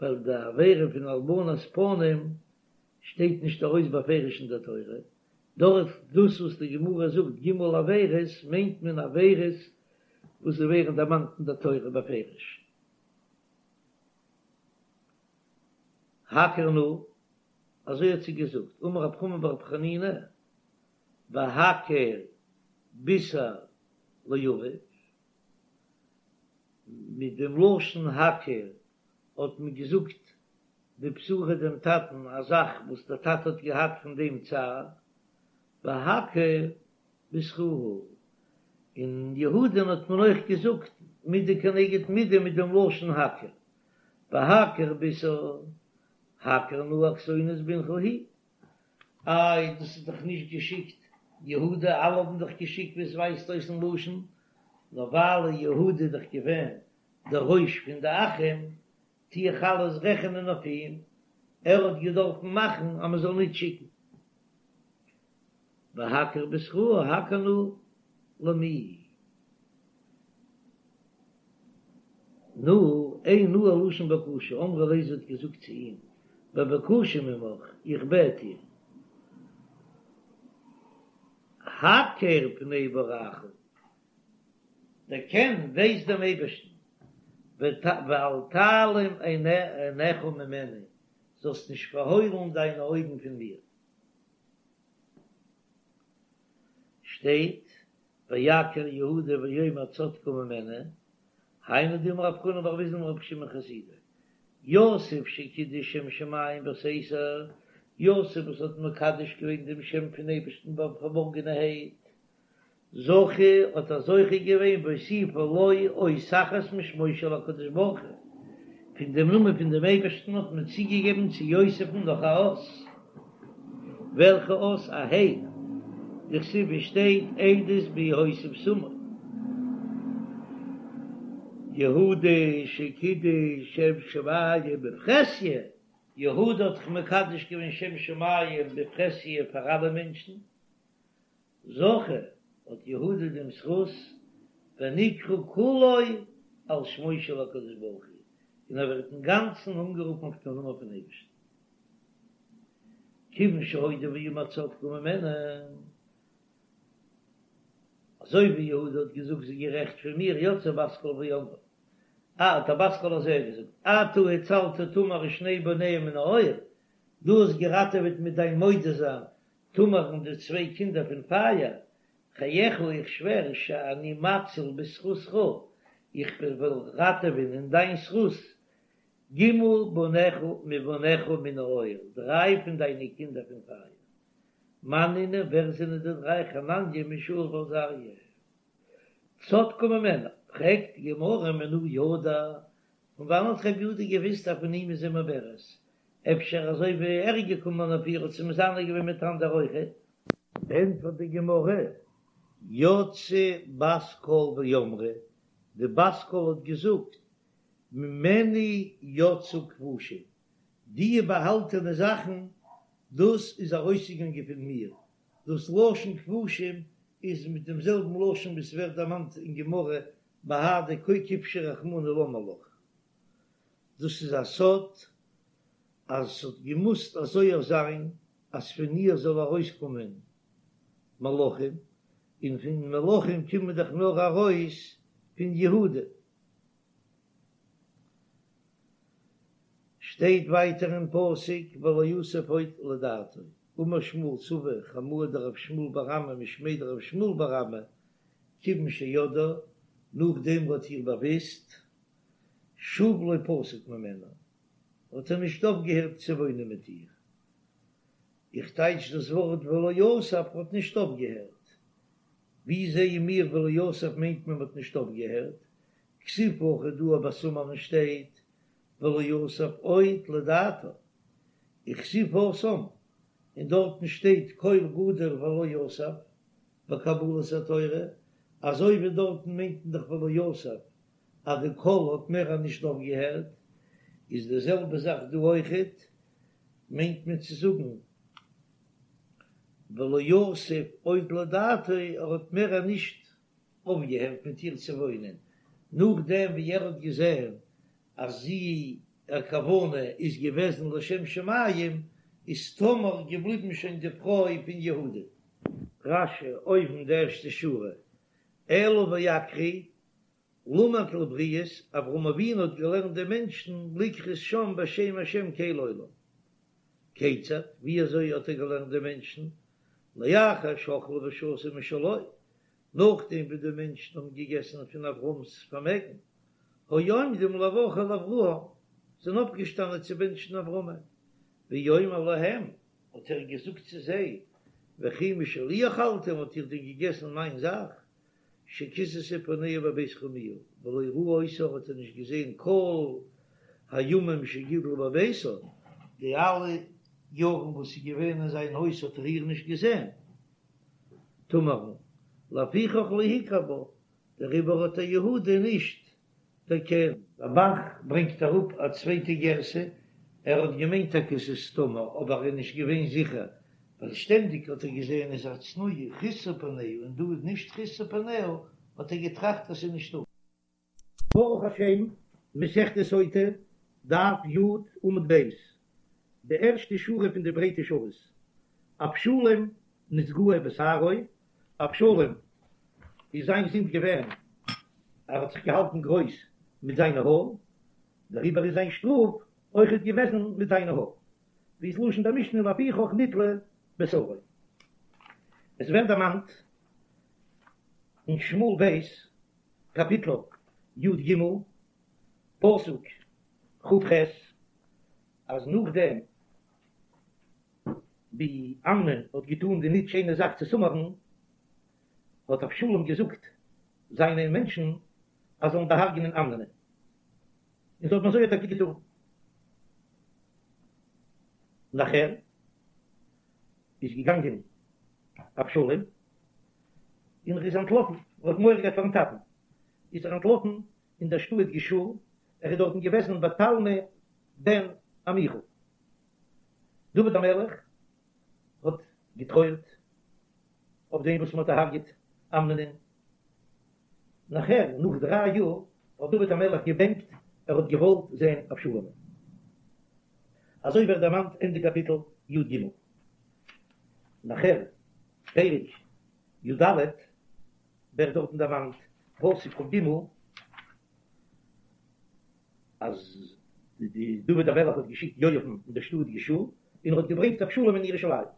Speaker 2: ווייל די עבירה פון הלבנת פנים שטייט נישט ארויס בפירוש אין דער תורה, דארט דאס וואס די גמרא זאגט ג' עבירות מיינט מען עבירות וואס זיי ווערן דערמאנט אין דער תורה בפירוש. הכר נא, אזוי האט זי געזאגט, אמר רב חמא בר חנינא, והכר בישר לאביו, מיט דעם לשון הכר האט מען געזאגט די בשורה דעם טאטן, א זאך וואס דער טאטע האט געהאט פון דעם צער, והכר בתך, און יהודה'ן האט מען אויך געזאגט מידה כנגד מידה מיט דעם לשון הכר, והכר בישר, הכר נא הכתונת בנך היא. איי, דאס איז דאך נישט געשיקט, יהודה, אלע האבן דאך געשיקט ווי עס ווייזט אויס אין לשון, נאר ווייל יהודה איז דאך געווען דער ראש פון די אחים, טו איך אלעס רעכענען אויף אים, ער האט געדארפן מאכן אז מען זאל ניט שיקן. והכר בתך, הכר נא למי. נא, אין נא לשון בקשה, אמרה ליה זי האט געזאגט צו אים, בבקשה ממך, איך בעט דיר, הכר פני בוראך, דערקען, ווייס דעם אייבערשטן, ואל תעלים עיניך ממני, זאלסט נישט פארהוילן דיינע אויגן פון מיר. שטייט. ויכר יהודה ויאמר צדקה ממני, היינו דאמר רב חנן בר ויזנא אמר רבי שמעון חסידא, יוסף שקידש שם שמים בסתר, יוסף וואס האט מקדש געווען דעם שם פון אייבערשטן ביים פארבארגענערהייט, זכה האט ער זוכה געווען והוסיפו לו אות אחת משמו של הקדוש ברוך הוא, פון דעם נאמען פון דעם אייבערשטן האט מען צוגעגעבן צו יוסף'ן נאך א אות, וועלכע אות? א ה', דכתיב ווי שטייט עדות ביהוסף שמו. יהודה שקידש שם שמים בפרהסיא, יהודה האט דאך מקדש געווען שם שמים בפרהסיא פאר אלע מענטשן, זכה האט יהודה דעם זכות ונקרא כולו על שמו של הקדוש ברוך הוא, און ער ווערט אינגאנצן אנגערופן אויף דעם נאמען פון אייבערשטן. כיוון שהודה ואמר צדקה ממני, אזוי ווי יהודה האט געזאגט זי איז גערעכט פון מיר, יצאה בת קול ואמרה, אה, האט א בת קול אזוי געזאגט, אתה הצלת תמר ושני בניה מן האור, דו האסט געראטעוועט מיט דיין מודה זיין תמר און די צוויי קינדער פון פייער, חייך איך שווער שאני מציל בזכותך, איך וועל ראטעווען אין דיין זכות, ג' בניך מבניך מן האור, דריי פון דיינע קינדער פון פייער. מאן נינהו, ווער זענען די דריי? חנניה מישאל ועזריה. צדקה ממנו, פרעגט די גמרא מנא ידע, פון וואנען האט רבי יהודה געוויסט אז פון אים איז זי מעוברת? אפשר אזוי ווי ער איז געקומען אויף איר האט זי מזנה געווען מיט אנדערע אויכעט? ענטפערט די גמרא, יצאה בת קול ואמרה, די בת קול האט געזאגט, ממני יצאו כבושים, די באהאלטענע זאכן, דאס איז ארויסגעגאנגען פון מיר, דאס לשון כבושים איז מיט דעם זעלבן לשון ווי ס'ווערט דערמאנט אין גמרא בהדי כבשי רחמנא למה לך, דאס איז א סוד אז ס'האט געמוזט אזוי אויך זיין אז פון איר זאל ארויסקומען מלכים, און פון מלכים קומען דאך נאר ארויס פון יהודה. שטייט ווייטער אין פסוק ולא יסף עוד לדעתו, אמר שמואל סבא חמוה דרב שמואל בר אמי משמיה דרב שמואל בר אמי, כיוון שידעה, נאכדעם האט איר באוויסט, שוב לא פסק ממנה, האט ער נישט אויפגעהערט צו וואוינען מיט איר. איך טייטש דאס ווארט ולא יסף האט נישט אויפגעהערט. ווי זעען מיר ולא יסף מיינט מען האט נישט אויפגעהערט? כתיב הכא דא ביי תמר'ן שטייט ולא יסף עוד לדעתה, וכתיב התם, און דארטן שטייט קול גדול ולא יסף בקבלת התורה, אזוי ווי דארטן מיינט מען דאך ולא יסף אז די קול האט מער נישט אויפגעהערט, איז די זעלבע זאך דא אויכעט, מיינט מען צו זאגן ולא יסף עוד לדעתו ער האט מער נישט אויפגעהערט מיט איר צו וואוינען, נאכדעם ווי ער האט געזען אז זי איר כוונה איז געוועזן לשם שמים, איז תמר געבליבן שוין די פרוי פון יהודה. רש"י, אויבן די ערשטע שורה, אלא ואקרי, למד לבריות, אברהם אבינו האט געלערנט די מענטשן לקרות שם בשם השם קל עולם. כיצד, ווי אזוי האט ער געלערנט די מענטשן? לאחר שאכלו ושתו משלו, נאכדעם ווי די מענטשן האבן געגעסן פון אברהם'ס פארמעגן, היו עומדים לברך אל אברהם, זענען אויפגעשטאנען צו בענטשן אברהמ'ן, ויאמר להם, האט ער געזאגט צו זיי, וכי משלי אכלתם, האט איר דען געגעסן מיין זאך? שכיסתה פניה בבית חמיה, ולא ראה אותה האט ער נישט געזען כל הימים שגידלה בביתו, די אלע יארן וואס זי איז געווען אין זיין הויז האט ער איר נישט געזען, תמר'ן, לפיכך לא הכיר בה, דעריבער האט ער יהודה נישט דערקענט. דער ב"ח ברענגט אראפ א צווייטע גירסא, ער האט געמיינט טאקע ס'איז תמר אבער ער איז נישט געווען זיכער, ווייל שטענדיג האט ער געזען איז א צנועה כסתה פניה און דא איז נישט כסתה פניה, האט ער געטראכט אז ס'איז נישט תמר. ברוך השם, מסכת סוטה, דף י, עמוד ב', די ערשטע שורה פון די ברייטע שורות, אבשלום נתגאה בשערו, אבשלום איז זיין זינד געווען ער האט זיך געהאלטן גרויס מיט זיינע האר, דעריבער איז זיין שטראף אויכעט געוועזן מיט זיינע האר, ווי איז לשון דער משנה לפיכך נתלה בשערו. עס ווערט דערמאנט. אין שמואל ב' קאפיטל י ג פסוק כ ח אז נאכדעם ווי אמנון האט געטאן די ניט שיינע זאך צו תמר'ן, האט אבשלום געזאגט זיינע מענטשן אז זאלן דערהרגענען אמנונ'ען, און זיי האבן אזוי טאקע געטאן. נאכער איז געגאנגען אבשלום און ער איז אנטלאפן, ער האט מורא געהאט פארן טאטן, איז ער אנטלאפן אין דער שטאט גשור, ער איז דארטן געוועזן ביי תלמי בן עמיחור. דוד המלך האט געטרויערט אויף דעם וואס מען האט דערהרגעט אמנונ'ען. נאכער, נאך דריי יאר, האט דוד המלך געבענקט, ער האט געוואלט זען אבשלומ'ן. אזוי ווערט דערמאנט אין די קאפיטל י ג. נאכער, פרק י ד, ווערט דארטן דערמאנט, פסוק כ ג, אז די דוד המלך האט געשיקט יואב'ן אין דער שטאט גשור, און ער האט געברענגט אבשלום אין ירושלים.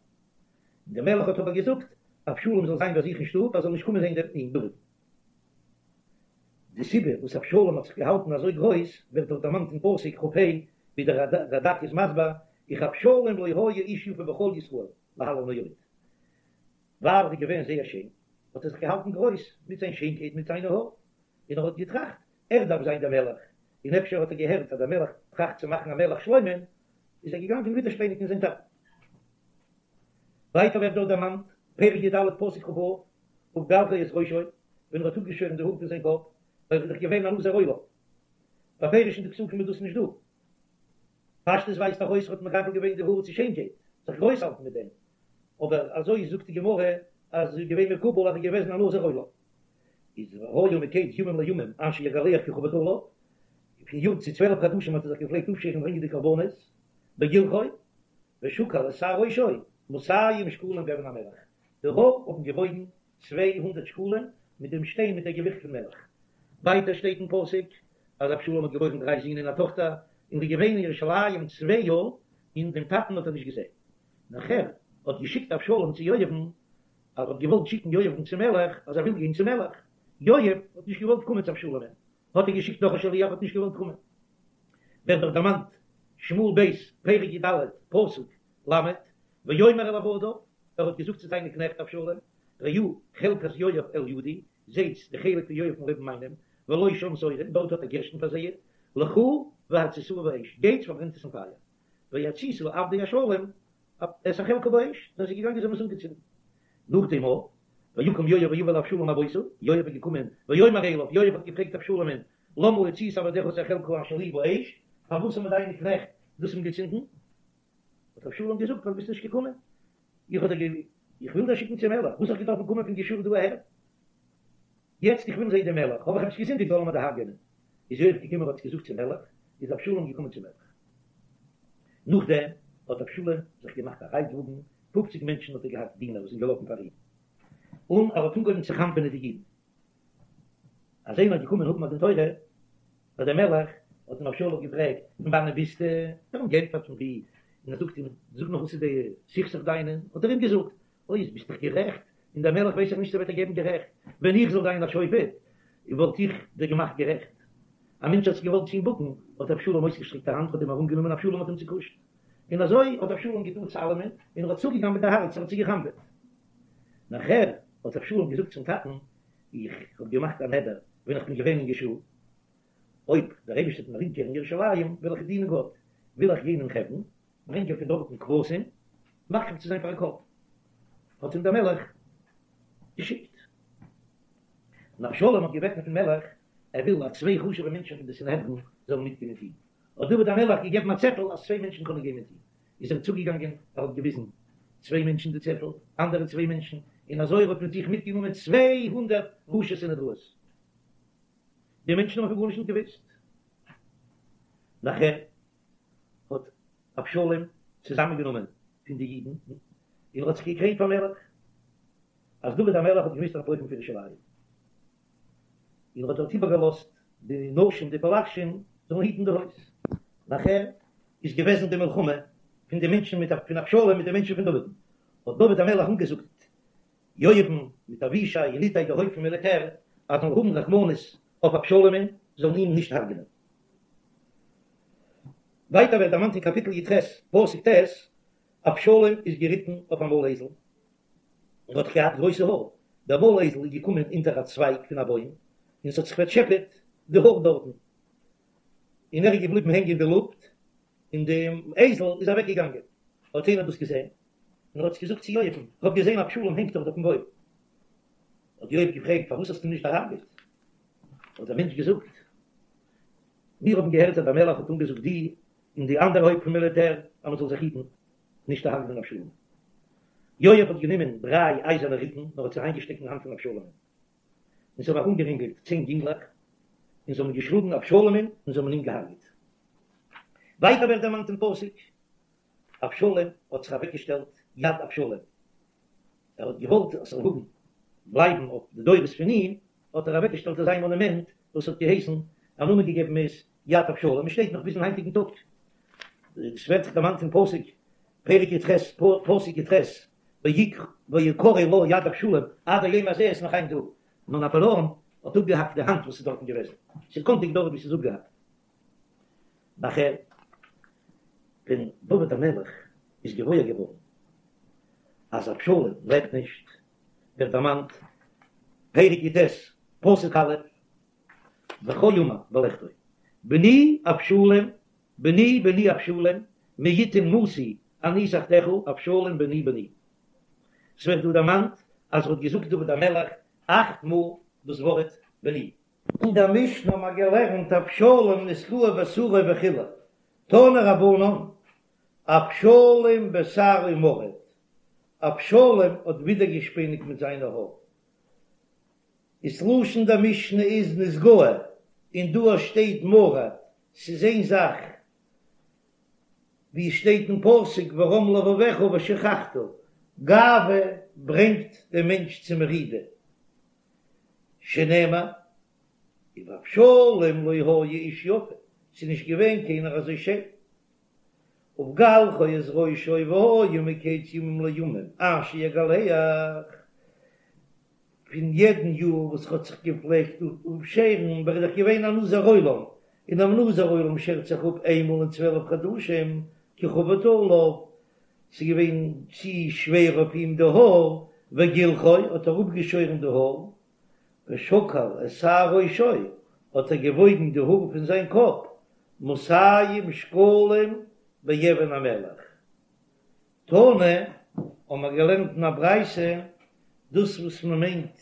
Speaker 2: דער מלך האט אבער געזאגט, אבשלום זאל זיין ביי זיך אין שטוב, ער זאל נישט קומען זען דעם דוד. די סיבה וואס אבשלום האט זיך געהאלטן אזוי גרויס, ווערט דאך דערמאנט אין פסוק כ ה, ווי דער רדק איז מסביר, וכאבשלום לא היה איש יפה בכל ישראל, להלן עוד. ווייל ער איז געווען זייער שיין, האט ער זיך געהאלטן גרויס מיט זיין שיינקייט, מיט זיינע האר, און ער האט געטראכט, ער דארף זיין דער מלך, און אפשר האט ער געהערט אז דער מלך טראכט צו מאכן א מלך שלמה'ן, איז ער געגאנגען ווידערשפעניגן זיין טאטן. ווייטער ווערט דארט דערמאנט, פרק י ד פסוק כ ו, ובגלחו את ראשו, ווען ער האט אפגעשוירן די האר פון זיין קאפ, ווייל ער איז דאך געווען א נזיר עולם. בפירוש אין די פסוקים איז דאס נישט דא. פשטות ווייזט דאך אויס ער האט מגדל געווען די האר צו שיינקייט, זיך גרויס האלטן מיט דעם. אבער אזוי זאגט די גמרא אז עס איז געווען מקובל אז ער איז געוועזן א נזיר עולם. איז והיה מקץ ימים לימים אשר יגלח ככבוד עליו, פון יאר צו 12 חדשים האט ער זיך געפלעגט אפשערן ברענגען די קרבנות, בגלחו, ושקל את שער ראשו מאתים שקלים באבן המלח, די האר האבן געוואויגן 200 שקלים מיט דעם שטיין מיט דער געוויכט פון מלח. ווייטער שטייט אין פסוק אז אבשלום האט געבוירן דריי זין און א טאכטער, און איז געווען אין ירושלים צוויי יאר, און דעם טאטן האט ער נישט געזען. נאכער האט געשיקט אבשלום צו יואב'ן, אז ער האט געוואלט שיקן יואב'ן צום מלך, אז ער וויל גיין צום מלך. יואב האט נישט געוואלט קומען צו אבשלומ'ן, האט ער געשיקט נאך א שליח, האט נישט געוואלט קומען. ווערט דאך דערמאנט, שמואל ב', פרק י ד, פסוק ל', ויאמר אל עבדיו, ער האט געזאגט צו זיינע קנעכט אבשלום, ראו חלקת יואב אל ידי, זעטס די חלק פון יואב'ן לעבן מיינעם, ולו שם שעורים, דארט האט ער גערשטן פארזייט, לכו והציתוה באש, גייטס פארברענט עס אין פייער. ויציתו עבדי אבשלום את החלקה באש, זענען זיי געגאנגען זיי האבן עס אנגעצינדן. נאך דעם אויך, ויקם יואב ויבא אל אבשלום הביתה, יואב איז געקומען, ויאמר אליו, יואב האט געפרעגט אבשלומ'ן, למה הציתו עבדיך את החלקה אשר לי באש, פארוואס האבן דיינע קנעכט דאס אנגעצינדן? האט אבשלום געזאגט, ווייל ביסט נישט געקומען, איך האב דיר איך וויל דיר שיקן צום מלך, וואס האב איך געדארפן קומען פון גשור דא אהער? יעצט איך וויל זען דעם מלך, האב איך עפעס געזינדיגט זאל ער מיר דערהרגענען. איז יואב געקומען האט עס געזאגט צום מלך, איז אבשלום געקומען צום מלך. נאכדעם האט אבשלום זיך געמאכט א רייטוואגן, פופציג מענטשן האט ער געהאט דינער וואס זענען געלאפן פאר אים, און ער האט אנגעהויבן צו חנפ'ענען די אידן. אז איינער איז געקומען האבן א דין תורה ביי דעם מלך, האט אים אבשלום געפרעגט, פון וואנען ביסטו? האט ער אים געענטפערט פון וואו, און ער זאגט אים, זאג נאר וואס איז די סכסוך דיינע? האט ער אים געזאגט, אוי ביסט דאך גערעכט, און דער מלך ווייס איך נישט צו וועט ער געבן גערעכט, ווען איך זאל זיין א שופט וואלט איך דיר געמאכט גערעכט. א מענטש האט זיך געוואלט צו אים בוקן, האט אבשלום אויסגעשטרעקט א האנט האט אים ארומגענומען אבשלום האט אים צעקושט, און אזוי האט אבשלום געטאן צו אלעמען, און ער האט צוגעגנבעט די הארץ, ער האט זיי גע'חנפ'עט. נאכער האט אבשלום געזאגט צום טאטן, איך האב געמאכט א נדר ווען איך בין געווען אין גשור, אויב דער אייבערשטער וועט מיר אומקערן ירושלים, וועל איך דינען גאט, וויל איך גיין אין חברון, ברענגען פון דארטן כבשים, מקריב צו זיין פאר א קרבן. האט אים דער מלך געשיקט. און אבשלום האט געבעטן פון מלך, ער וויל אז צוויי חשוב'ע מענטשן פון די סנהדרין זאלן מיטגיין מיט אים. האט דוד המלך געגעבן א צעטל אז צוויי מענטשן קענען גיין מיט אים. איז ער צוגעגאנגען, ער האט געוויזן צוויי מענטשן די צעטל, אנדערע צוויי מענטשן, און אזוי ער האט מיט זיך מיטגענומען 200 ראשי סנהדראות. די מענטשן האבן פון גארנישט נישט געוואוסט. נאכער האט אבשלום צוזאמענגענומען פון די אידן, און ער האט זיך געקרוינט פאר מלך, אז דוד המלך האט געמוזט אנטלויפן פון ירושלים, און ער האט דארט איבערגעלאזט די נשים די פלגשים זאלן היטן די הויז. נאכער איז געוועזן די מלחמה פון די מענטשן מיט פון אבשלום מיט די מענטשן פון דוד'ן, האט דוד המלך אנגעזאגט. יואב'ן מיט אבישי און איתי די הויפט פון מיליטער אז זאלן האבן רחמנות אויף אבשלום'ן זאלן אים נישט הרג'נען. ווייטער ווערט דערמאנט אין קאפיטל י"ח פסוק ט', אבשלום איז געריטן אויף א מויל אייזל, און האט געהאט גרויסע האר, דער מויל אייזל איז געקומען אונטער א צווייג פון א בוים, און ס'האט זיך פארטשעפעט די האר דארטן, און ער איז געבליבן הענגען אין די לופט, און די אייזל איז אוועק געגאנגען, האט איינער דאס געזען, און ער האט עס געזאגט צו יואב'ן, איך האב געזען אבשלום הענגט דארט אויפן בוים, האט יואב געפרעגט, פארוואס האסטו אים נישט דערהרגעט? האט דער מענטש געזאגט, מיר האבן געהערט אז דער מלך האט אנגעזאגט די און די אנדערע הויפט פון מיליטער אז מען זאל זיך היטן נישט צו הרג'נען אבשלום. יואב האט גענומען דריי אייזערנע ריטן און האט זיי אריינגעשטעקט אין האנט פון אבשלומ'ן, און זיי האבן ארומגערינגלט צען יונגלעך, און זיי האבן געשלאגן אבשלומ'ן און זיי האבן אים געהרג'עט. ווייטער ווערט דערמאנט אין פסוק, אבשלום האט זיך אוועקגעשטעלט יד אבשלום, ער האט געוואלט עס זאל האבן בלייבן אויף די דורות פון אים, האט ער אוועקגעשטעלט אזא מאנומענט וואס האט געהייסן, א נאמען געגעבן איז יד אבשלום, עס שטייט נאך ביזן היינטיגן טאג, עס ווערט דערמאנט אין פסוק, פרק י"ח, פסוק י"ח, ויקרא לה יד אבשלום, עד היום הזה איז נאך היינט דא, נאר נאפאלעאן האט אפגעהאקט די האנט וואס איז דארטן געוועזן, ס'איז קאנטיג דארט ווי ס'איז אפגעהאקט. נאכער ווען דוד המלך איז געוואויר געווארן אז אבשלום לעבט נישט, ווערט דערמאנט, פרק י"ט, פסוק א', וכה אמר בלכתו, בני אבשלום, בני בני אבשלום, מי יתן מוסי אני תחתיך, אבשלום בני בני. ס'ווערט דא דערמאנט אז ער האט געזאגט דוד המלך אכט מאל דאס ווארט בני. אין דער משנה האבן מיר געלערנט אבשלום נתגאה בשערו וכו', תנו רבנן, אבשלום בשערו מרד, אבשלום האט ווידערגעשפעניגט מיט זיינע האר. איז לשון דער משנה איז נתגאה, און דא שטייט מרד, ס'איז איין זאך, ווי עס שטייט אין פסוק ורם לבבך ושכחת, גאווה ברענגט דעם מענטש צו מרידה, שנאמר, ובאבשלום לא היה איש יפה, ס'איז נישט געווען קיינער אזוי שיין. ובגלחו את ראשו והיה מקץ ימים לימים אשר יגלח, פון יעדן יאר וואס ער האט זיך געפלעגט אפשערן, ווייל ער איז דאך געווען א נזיר עולם, און א נזיר עולם שערט זיך אפ איינמאל אין צוועלף חדשים, כי כבד עליו, ס'איז געווען צו שווער אויף אים די האר, וגלחו, האט ער אפגעשוירן די האר, ושקל את שער ראשו, האט ער געוואויגן די האר פון זיין קאפ, מאתים שקלים באבן המלך. תנא, האבן מיר געלערנט אין א ברייתא, דאס וואס מען מיינט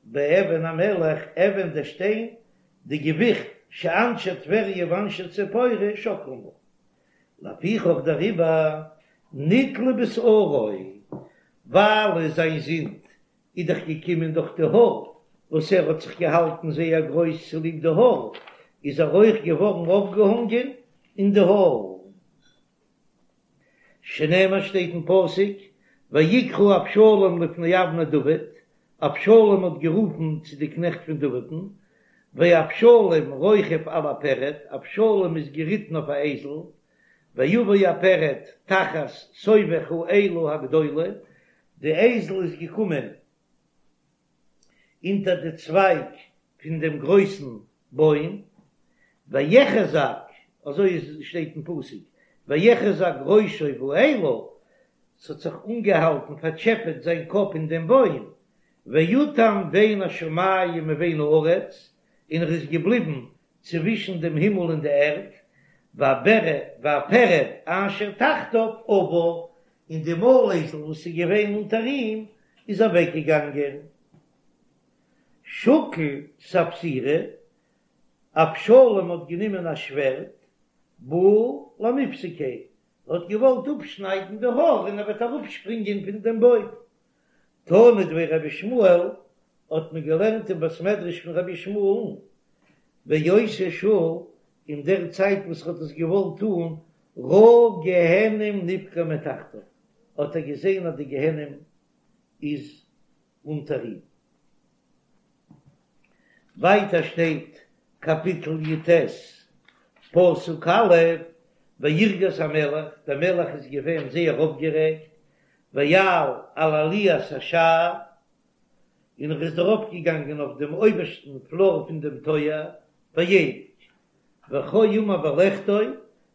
Speaker 2: באבן המלך, אבן דער שטיין, די געוויכט שאנשי טבריה ואנשי ציפורי שוקלים בה. לפיכך דעריבער נתלה בשערו, ווייל זיין זינד איז דאך געקומען דורך די האר, וואס ער האט זיך געהאלטן זייער גרויס צוליב די האר, איז ער אויך געווארן אויפגעהאנגען אין די האר. שנאמר שטייט אין פסוק, ויקרא אבשלום לפני אבני דוד, אבשלום האט גערופן צו די קנעכט פון דוד'ן, ואבשלום רוכב על הפרד, אבשלום איז געריטן אויף א אייזל, ויבא הפרד תחת סובך האלה הגדולה, די אייזל איז געקומען אונטער די צווייג פון דעם גרויסן בוים, ויחזק, אזוי איז שטייט אין פסוק, ויחזק ראשו באלה, ס'האט זיך אנגעהאלטן, פארטשעפעט זיין קאפ אין דעם בוים, ויתם בין השמים ובין הארץ, און ער איז געבליבן צווישן דעם הימל און די ערד, והפרד אשר תחתיו עבר, און די מויל-אייזל וואס איז געווען אונטער אים איז אוועקגעגאנגען. שקל ספסירא, אבשלום האט גענומען א שווערד, בעי למיפסקיה, ער האט געוואלט אפשניידן די האר און ער וועט אראפשפרינגען פון דעם בוים. תנא דבי רבי ישמעאל, האט מען געלערנט אין בית מדרש פון רבי ישמעאל'ן, באותה שעה, אין דער צייט וואס ער האט עס געוואלט טאן, ראה גיהנום נפקע מתחתיו, האט ער געזען אז די גיהנום איז אונטער אים. ווייטער שטייט קאפיטל י"ט פסוק א', וירגז המלך, דער מלך איז געווען זייער אויפגערעגט,
Speaker 1: ויעל על עליית השער, און ער איז ארויפגעגאנגען אויף דעם אויבערשטן פלאר פון דעם טויער, ויבך, וכה אמר בלכתו,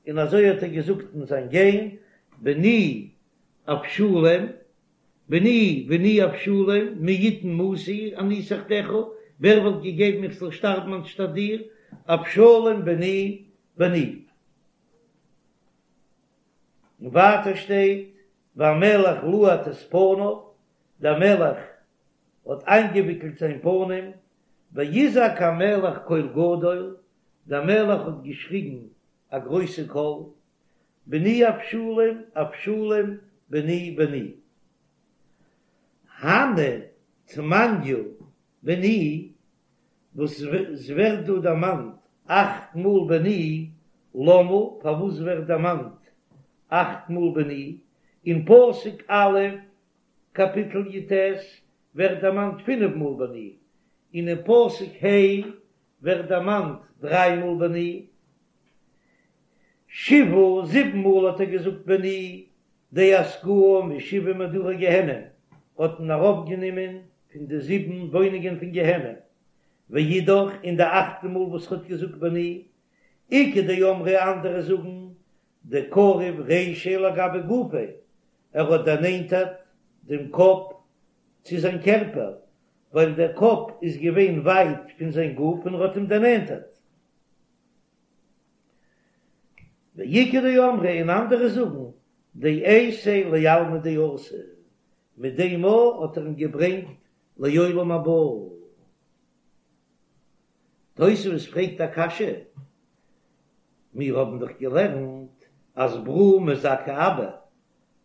Speaker 1: און אזוי האט ער געזאגט אין זיין גיין, בני אבשלום, בני בני אבשלום, מי יתן מותי אני תחתיך, ווער וואלט געגעבן איך זאל שטארבן אנשטאט דיר, אבשלום בני בני. און ווייטער שטייט, והמלך לעט את פניו, דער מלך האט איינגעוויקלט זיין פנים, ויזעק המלך קול גדול, דער מלך האט געשריגן א גרויסע קול, בני אבשלום, אבשלום, בני בני. הני תמניא בני, וואס ס'ווערט דא דערמאנט אכט מאל בני, למה, פארוואס ווערט דערמאנט אכט מאל בני, אין פסוק א' קאפיטל י"ט ווערט דערמאנט פינף מאל בני, און אין פסוק ה' ווערט דערמאנט דריי מאל בני, שבעה, זיבן מאל האט ער געזאגט בני, דאסקוהו משבעה מדורי גיהנום, האט מען אראפגענומען פון די זיבן וואוינונגען פון גיהנום, ואידך, און די אכטע מאל וואס ער האט געזאגט בני, איכא דאמרי אנדערע זאגן דקריב רישיה לגבי גופיה, ער האט דערנענטערט דעם קאפ צו זיין קערפער, ווייל דער קאפ איז געווען ווייט פון זיין גוף און ער האט אים דערנענטערט. ואיכא דאמרי און אנדערע זאגן דאייתיה לעלמא דאתי, מיט דעם מאל האט ער אים געברענגט לעולם הבא. תוספות פרעגט א קשיא, מיר האבן דאך געלערנט אז ברא מזכה אבא,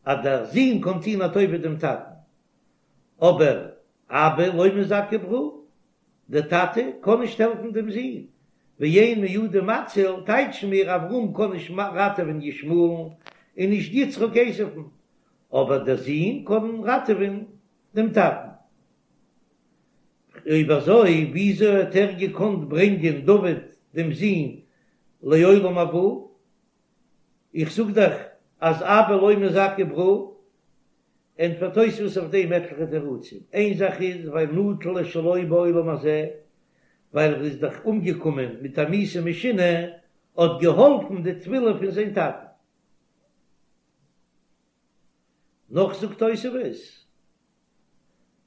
Speaker 1: אז דער זון קען טון א טובה דעם טאטן, אבער אבא לא מזכה ברא, דער טאטע קען נישט העלפן דעם זון, ואין מידי מציל, טייטשן מיר אברהם קען נישט ראטעווען ישמעאל'ן און נישט יצחק עשו'ן, אבער דער זון קען ראטעווען דעם טאטן. אויב אזוי וויאזוי האט ער געקאנט ברענגען דוד דעם זון לעולם הבא? איך זאג דאך אז אבא לא מזכה ברא. ענטפערט תוספות אויף דעם עטליכע תירוצים, איין זאך איז ווייל נטל את שלו בעולם הזה, ווייל ער איז דאך אומגעקומען מיט א מיתה משונה, האט געהאלפן די תפילה פון זיין טאטן. נאך זאגט תוספות,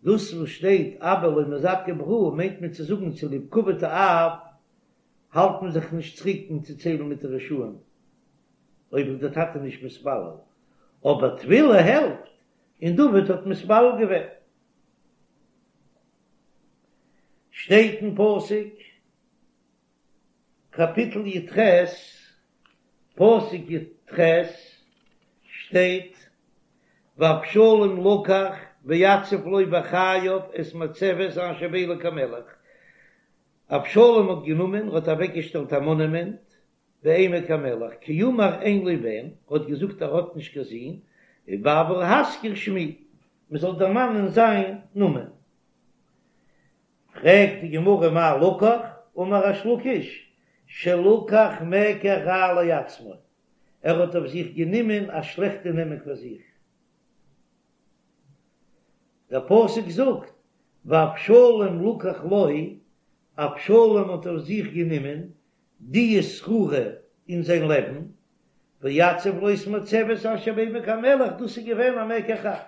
Speaker 1: דאס וואס שטייט אבא לא מזכה ברא מיינט מען צו זאגן צוליב כבוד האב האלט מען זיך נישט צוריק פון צו ציילן מיט די רשעים אויב איז דער טאטע נישט מתפלל, אבער תפילה העלפט, און דוד האט מתפלל געווען. שטייט אין פסוק קאפיטל י"ח, פסוק י"ח, שטייט, ואבשלום לקח ויצב לו בחייו את מצבת אשר בעמק המלך, אבשלום האט גענומען, האט אוועקגעשטעלט א מאנומענט בעמק המלך, כי אמר אין לי בן, האט געזאגט ער האט נישט קיין זון, ובעבור הזכר שמי, מען זאל דערמאנען זיין נאמען. פרעגט די גמרא מאי לקח, אמר ריש לקיש, שלקח מקח רע לעצמו, ער האט אויף זיך גענומען א שלעכטע נאמען פאר זיך. דער פסוק זאגט, ואבשלום לקח לו, אבשלום האט אויף זיך גענומען די שררה אין זיין לעבן, ויצב לו את מצבת אשר בעמק המלך, דאס איז געווען א מקח רע.